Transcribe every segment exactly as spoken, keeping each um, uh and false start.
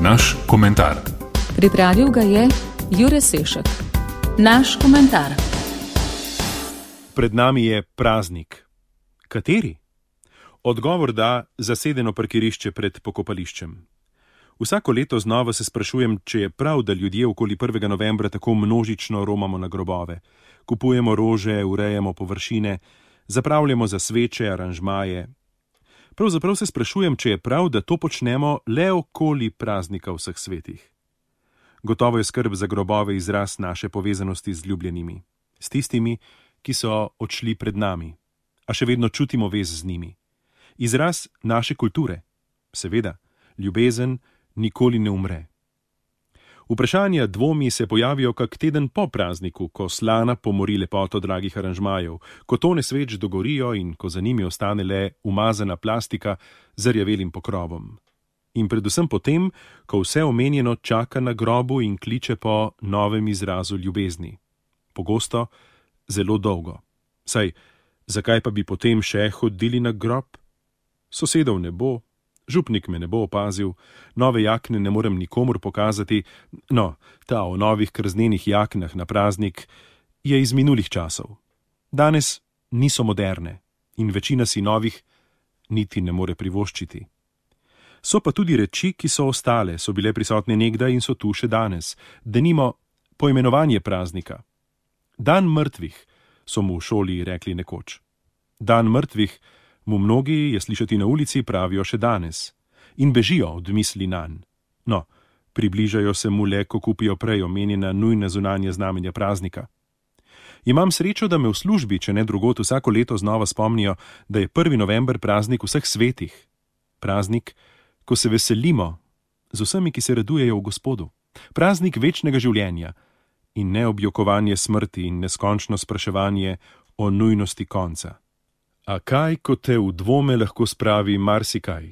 Naš komentar. Pripravil ga je Jure Sešek. Naš komentar. Pred nami je praznik. Kateri? Odgovor da zasedeno parkirišče pred pokopališčem. Vsako leto znova se sprašujem, če je prav, da ljudje okoli prvega novembra tako množično romamo na grobove. Kupujemo rože, urejamo površine, zapravljamo za sveče, aranžmaje. Pravzaprav se sprašujem, če je prav, da to počnemo le okoli praznika vseh svetih. Gotovo je skrb za grobove izraz naše povezanosti z ljubljenimi, s tistimi, ki so odšli pred nami, a še vedno čutimo vez z njimi. Izraz naše kulture, seveda, ljubezen nikoli ne umre. Vprašanja, dvomi se pojavijo kak teden po prazniku, ko slana pomori lepoto dragih aranžmajev, ko tone sveč dogorijo in ko za njimi ostane le umazana plastika z rjavelim pokrovom. In predvsem potem, ko vse omenjeno čaka na grobu in kliče po novem izrazu ljubezni. Pogosto, zelo dolgo. Saj, zakaj pa bi potem še hodili na grob? Sosedov ne bo, župnik me ne bo opazil, nove jakne ne morem nikomur pokazati, no, ta o novih krznenih jaknah na praznik je iz minulih časov. Danes niso moderne in večina si novih niti ne more privoščiti. So pa tudi reči, ki so ostale, so bile prisotne nekdaj in so tu še danes. Denimo poimenovanje praznika. Dan mrtvih, so mu v šoli rekli nekoč. Dan mrtvih mu mnogi, je slišati na ulici, pravijo še danes. In bežijo od misli nanj. No, približajo se mu le, ko kupijo prej omenjena nujna zunanja znamenja praznika. Imam srečo, da me v službi, če ne drugot, vsako leto znova spomnijo, da je prvi november praznik vseh svetih. Praznik, ko se veselimo z vsemi, ki se radujejo v Gospodu. Praznik večnega življenja in ne objokovanje smrti in neskončno spraševanje o nujnosti konca. A kaj, ko te v dvome lahko spravi marsikaj?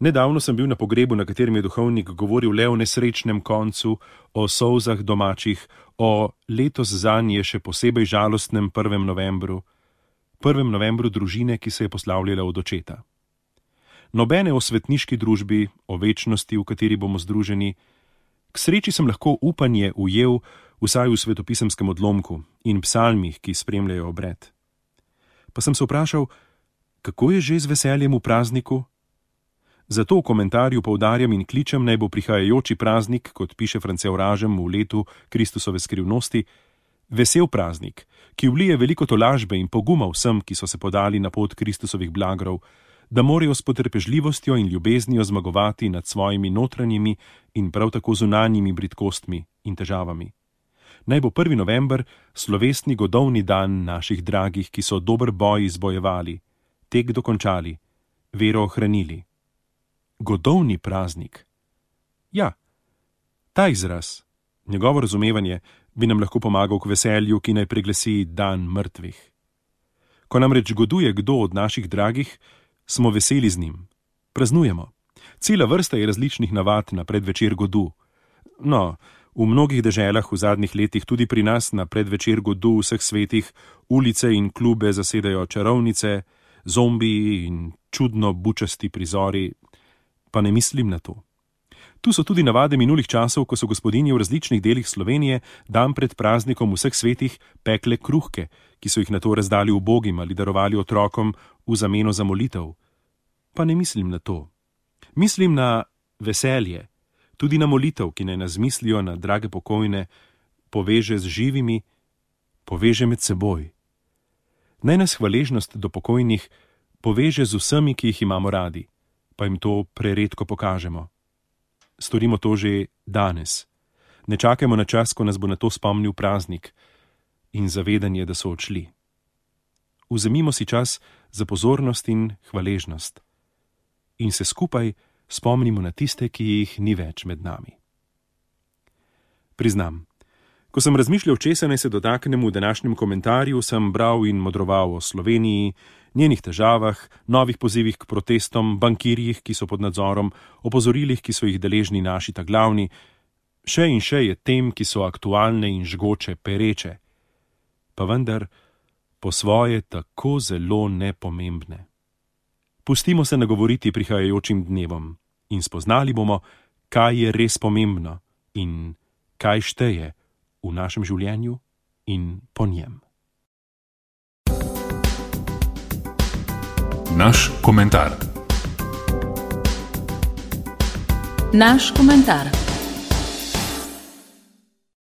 Nedavno sem bil na pogrebu, na katerem je duhovnik govoril le o nesrečnem koncu, o solzah domačih, o letos zanje še posebej žalostnem prvem novembru, prvem novembru družine, ki se je poslavljala od očeta. Nobene o svetniški družbi, o večnosti, v kateri bomo združeni. K sreči sem lahko upanje ujel vsaj v svetopisemskem odlomku in psalmih, ki spremljajo obred. Pa sem se vprašal, kako je že z veseljem v prazniku? Zato v komentarju poudarjam in kličem, naj bo prihajajoči praznik, kot piše France Vražem v letu Kristusove skrivnosti, vesel praznik, ki vlije veliko tolažbe in poguma vsem, ki so se podali na pot Kristusovih blagrov, da morajo s potrpežljivostjo in ljubeznijo zmagovati nad svojimi notranjimi in prav tako zunanjimi bridkostmi in težavami. Naj bo prvi november slovesni godovni dan naših dragih, ki so dober boj izbojevali, tek dokončali, vero ohranili. Godovni praznik. Ja, ta izraz, njegovo razumevanje, bi nam lahko pomagal k veselju, ki naj preglasi dan mrtvih. Ko namreč goduje kdo od naših dragih, smo veseli z njim. Praznujemo. Cela vrsta je različnih navad na predvečer godu. No, v mnogih deželah v zadnjih letih, tudi pri nas na predvečer godu vseh svetih, ulice in klube zasedajo čarovnice, zombiji in čudno bučasti prizori, pa ne mislim na to. Tu so tudi navade minulih časov, ko so gospodinje v različnih delih Slovenije dan pred praznikom vseh svetih pekle kruhke, ki so jih nato razdali ubogim ali darovali otrokom v zameno za molitev. Pa ne mislim na to. Mislim na veselje, tudi na molitev, ki naj nas mislijo na drage pokojne, poveže z živimi, poveže med seboj. Naj nas hvaležnost do pokojnih poveže z vsemi, ki jih imamo radi, pa jim to preredko pokažemo. Storimo to že danes. Ne čakajmo na čas, ko nas bo na to spomnil praznik in zavedanje, da so odšli. Vzemimo si čas za pozornost in hvaležnost in se skupaj spomnimo na tiste, ki jih ni več med nami. Priznam, ko sem razmišljal, česa naj se dotaknem v današnjem komentarju, sem bral in modroval o Sloveniji, njenih težavah, novih pozivih k protestom, bankirjih, ki so pod nadzorom, opozorilih, ki so jih deležni naši ta glavni, še in še je tem, ki so aktualne in žgoče, pereče, pa vendar po svoje tako zelo nepomembne. Pustimo se nagovoriti prihajajočim dnevom in spoznali bomo, kaj je res pomembno in kaj šteje v našem življenju in po njem. Naš komentar. Naš komentar.